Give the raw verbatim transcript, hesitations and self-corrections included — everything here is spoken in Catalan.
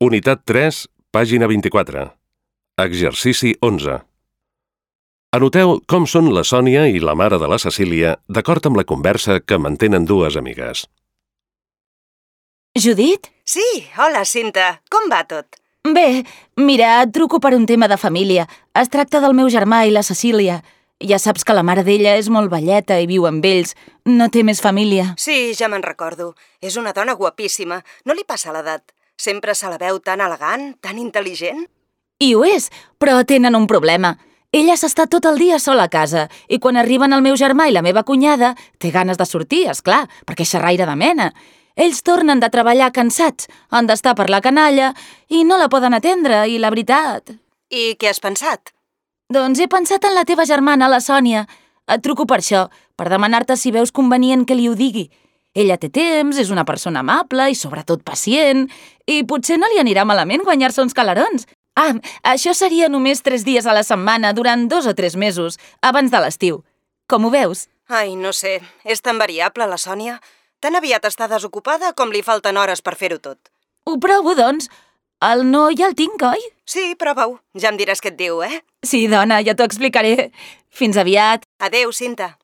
Unitat tres, pàgina vint-i-quatre. Exercici onze. Anoteu com són la Sònia i la mare de la Cecília d'acord amb la conversa que mantenen dues amigues. Judit? Sí, hola, Cinta. Com va tot? Bé, mira, et truco per un tema de família. Es tracta del meu germà i la Cecília. Ja saps que la mare d'ella és molt velleta i viu amb ells. No té més família. Sí, ja me'n recordo. És una dona guapíssima. No li passa l'edat. Sempre se la veu tan elegant, tan intel·ligent. I ho és, però tenen un problema. Ella s'està tot el dia sola a casa i quan arriben el meu germà i la meva cunyada té ganes de sortir, és clar, perquè és xerraire de mena. Ells tornen de treballar cansats, han d'estar per la canalla i no la poden atendre, i la veritat... I què has pensat? Doncs he pensat en la teva germana, la Sònia. Et truco per això, per demanar-te si veus convenient que li ho digui. Ella té temps, és una persona amable i sobretot pacient, i potser no li anirà malament guanyar-se uns calarons. Ah, això seria només tres dies a la setmana durant dos o tres mesos, abans de l'estiu. Com ho veus? Ai, no sé, és tan variable, la Sònia. Tan aviat està desocupada com li falten hores per fer-ho tot. Ho provo, doncs. El no ja el tinc, oi? Sí, prova-ho. Ja em diràs què et diu, eh? Sí, dona, ja t'ho explicaré. Fins aviat. Adéu, Cinta.